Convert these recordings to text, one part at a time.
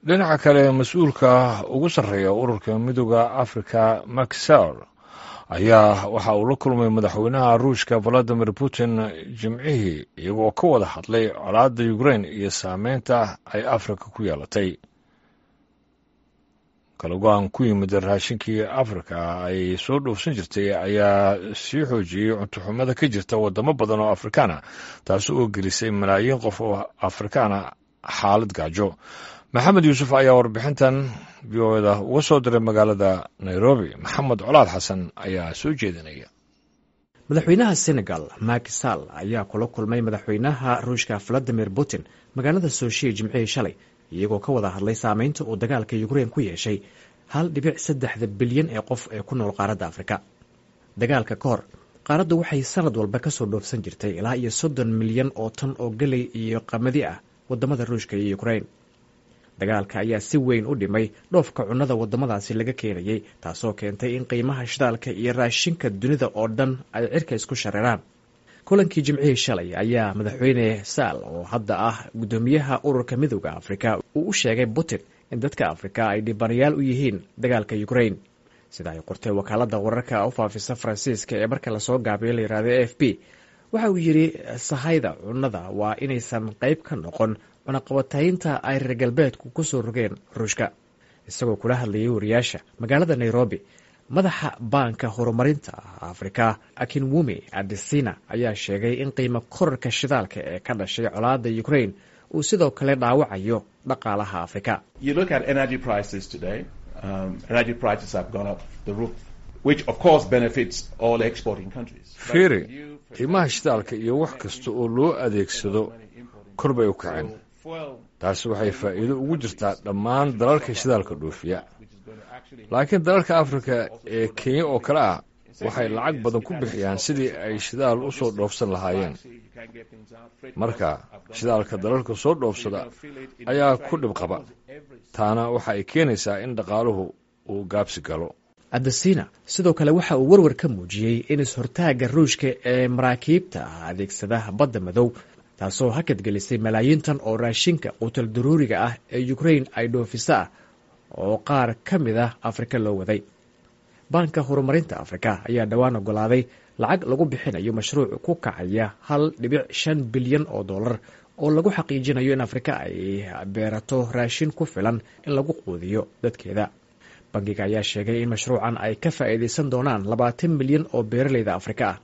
Dhinaca kale, mas-uulka ugu sarreeya Ururka Midooda Africa, Macky Sall, ayaa waxa uu la kulmay madaxweynaha Ruushka Valadimir Putin Jimcihii, iyagoo ka wada hadlay colaadda Ukrain iyo saameynta ay Afrika ku yeelatay. Kala go'an ku yimid raashinkii Afrika ay soo dhoofsan jirtay ayaa sii xoojiyey cuntoxumada ka jirta wadamo badan oo Afrikaana, taasi oo gelisay malaayiin qof oo Afrikaana xaalad gaajo. Maxamed Yuusuf ayaa warbixintan VOA-da uga soo diray magaalada Nairobi. Maxamed Colaad Xasan ayaa soo jeedinaya. Madaxweynaha Senegal Macky Sall ayaa kula kulmay madaxweynaha Ruushka Valadimir Putin magaalada Sooshiya Jimcihii shalay, iyagoo ka wada hadlay saameynta uu dagaalka Ukrein ku yeeshay 1.3-da bilyan ee qof ee ku nool qaaradda Afrika. Dagaalka ka hor, qaaraddu waxay sanad walba kasoo dhoofsan jirtay ilaa iyo 30 milyan oo tan oo geley iyo qamadi ah wadamada Ruushka iyo Ukrein. Dagaalka ayaa si weyn u dhimay dhoofka cunnada wadamadaasi laga keenayay, taasoo keentay in qiimaha shidaalka iyo raashinka dunida oo dhan ay cirka isku shareeraan. Kulankii Jimcihii shalay ayaa madaxweyne Sall, oo hadda ah guddoomiyaha Ururka Midooda Afrika, uu u sheegay Putin in dadka Afrika ay dhibanayaal u yihiin dagaalka Ukrain. Sida ay qortay wakaalada wararka u faafisa Faransiiska ee marka lasoo gaabiyo la yihahdo AFP, waxa uu yidhi sahayda cunnada waa inaysan qayb ka noqon cunaqabataynta ay reer galbeedku ku soo rogeen Ruushka. Isagoo kula hadlayay wariyaasha magaalada Nairobi, madaxa Baanka Horumarinta Afrika Akinwumi Adesina ayaa sheegay in qiimo korarka shidaalka ee ka dhashay colaada Ukrain uu sidoo kale dhaawacayo dhaqaalaha Afrika. You look at energy prices today, energy prices have gone up the roof, which of course benefits all exporting countries. Fiiri qiimaha shidaalka iyo wax kasta oo loo adeegsado, kor bay u kaceen. Taasi waxay faa'iido ugu jirtaa dhammaan dalalka shidaalka dhoofiya, laakiin dalalka Afrika ee Kenya oo kale ah waxay lacag badan ku bixiyaan sidii ay shidaal u soo dhoofsan lahaayeen. Marka shidaalka dalalka soo dhoofsada ayaa ku dhib qaba, taana waxa ay keenaysaa in dhaqaaluhu uu gaabsi galo. Adesina sidoo kale waxa uu warwar ka muujiyey in is-hortaagga Ruushka ee maraakiibta adeegsada Badda Madow, taasoo hakad gelisay malaayiin tan oo raashinka quutal daruuriga ah ee Ukrain ay dhoofisa ah oo qaar ka mid ah Afrika loo waday. Baanka Horumarinta Afrika ayaa dhowaan ogolaaday lacag lagu bixinayo mashruuc ku kacaya 1.5 bilyan oo dollar oo lagu xaqiijinayo in Afrika ay beerato raashin ku filan in lagu quudiyo dadkeeda. Bangiga ayaa sheegay in mashruucan ay ka faa'iidaysan doonaan 20 milyan oo beeraleyda Afrika ah.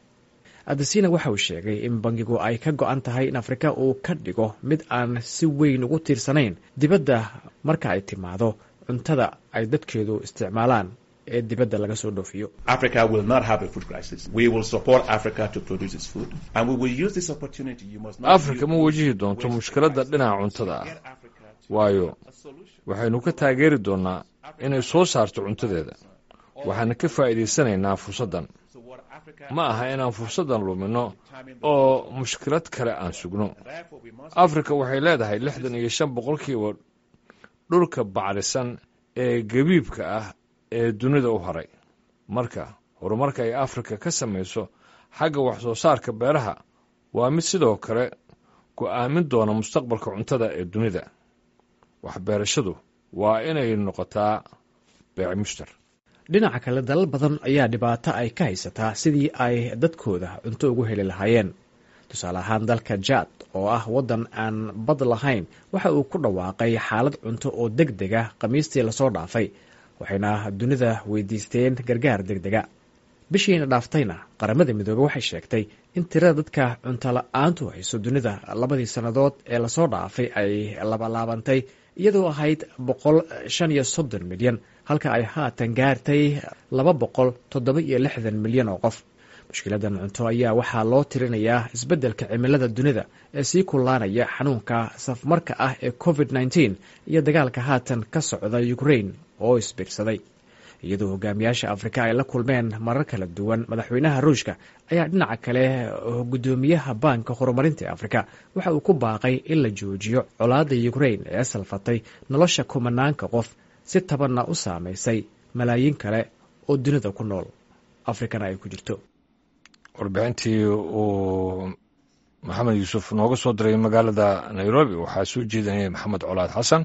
Adesina waxa uu sheegay in bangigu ay ka go'an tahay in Afrika uu ka dhigo mid aan si weyn ugu tiirsanayn dibadda marka ay timaado cuntada ay dadkeedu isticmaalaan ee dibadda laga soo dhoofiyo. Africa will not have a food crisis. We will support Africa to produce its food, and we will use this opportunity. You must not Afrika ma wajihi doonto mushkiladda dhinaca cuntada ah, waayo waxaynu ka taageeri doonnaa inay soo saarto cuntadeeda, waxaana ka faa'iidaysanaynaa fursaddan. Ma aha inaan fursaddan luminno oo mushkilad kale aan sugno. Afrika waxay leedahay 65% dhulka bacrisan ee gabiibka ah ee dunida u haray. Marka horumarka ay Afrika ka samayso xagga wax soo saarka beeraha waa mid sidoo kale go'aamin doona mustaqbalka cuntada ee dunida. Waxbeerashadu waa inay noqotaa beec mushtar. Dhinaca kale, dalal badan ayaa dhibaato ay ka haysataa sidii ay dadkooda cunto ugu heli lahaayeen. Tusaale ahaan, dalka Jaad oo ah waddan aan bad lahayn waxa uu ku dhawaaqay xaalad cunto oo deg deg ah Khamiistii lasoo dhaafay, waxayna dunida weydiisteen gargaar deg dega. Bishiina dhaaftayna, Qaramada Midoobey waxay sheegtay in tirada dadka cunto la-aantu hayso dunida labadii sannadood ee lasoo dhaafay ay labalaabantay, iyadoo ahayd 135 milyan, halka ay haatan gaartay 267 milyan oo qof. Mushkiladan cunto ayaa waxaa loo tirinayaa isbeddelka cimilada dunida ee sii kullaanaya, xanuunka safmarka ah ee COVID-19 iyo dagaalka haatan ka socda Ukrain oo isbiirsaday. Iyadoo hogaamiyaasha Afrika ay la kulmeen marar kala duwan madaxweynaha Ruushka, ayaa dhinaca kale guddoomiyaha Baanka Horumarinta ee Afrika waxa uu ku baaqay in la joojiyo colaadda Ukrain ee salfatay nolosha kumanaanka qof, si tabanna u saamaysay malaayiin kale oo dunida ku nool, Afrikana ay ku jirto. Warbixintii uu Maxamed Yuusuf nooga soo diray magaalada Nairobi waxaa soo jeedinaya Maxamed Colaad Xasan.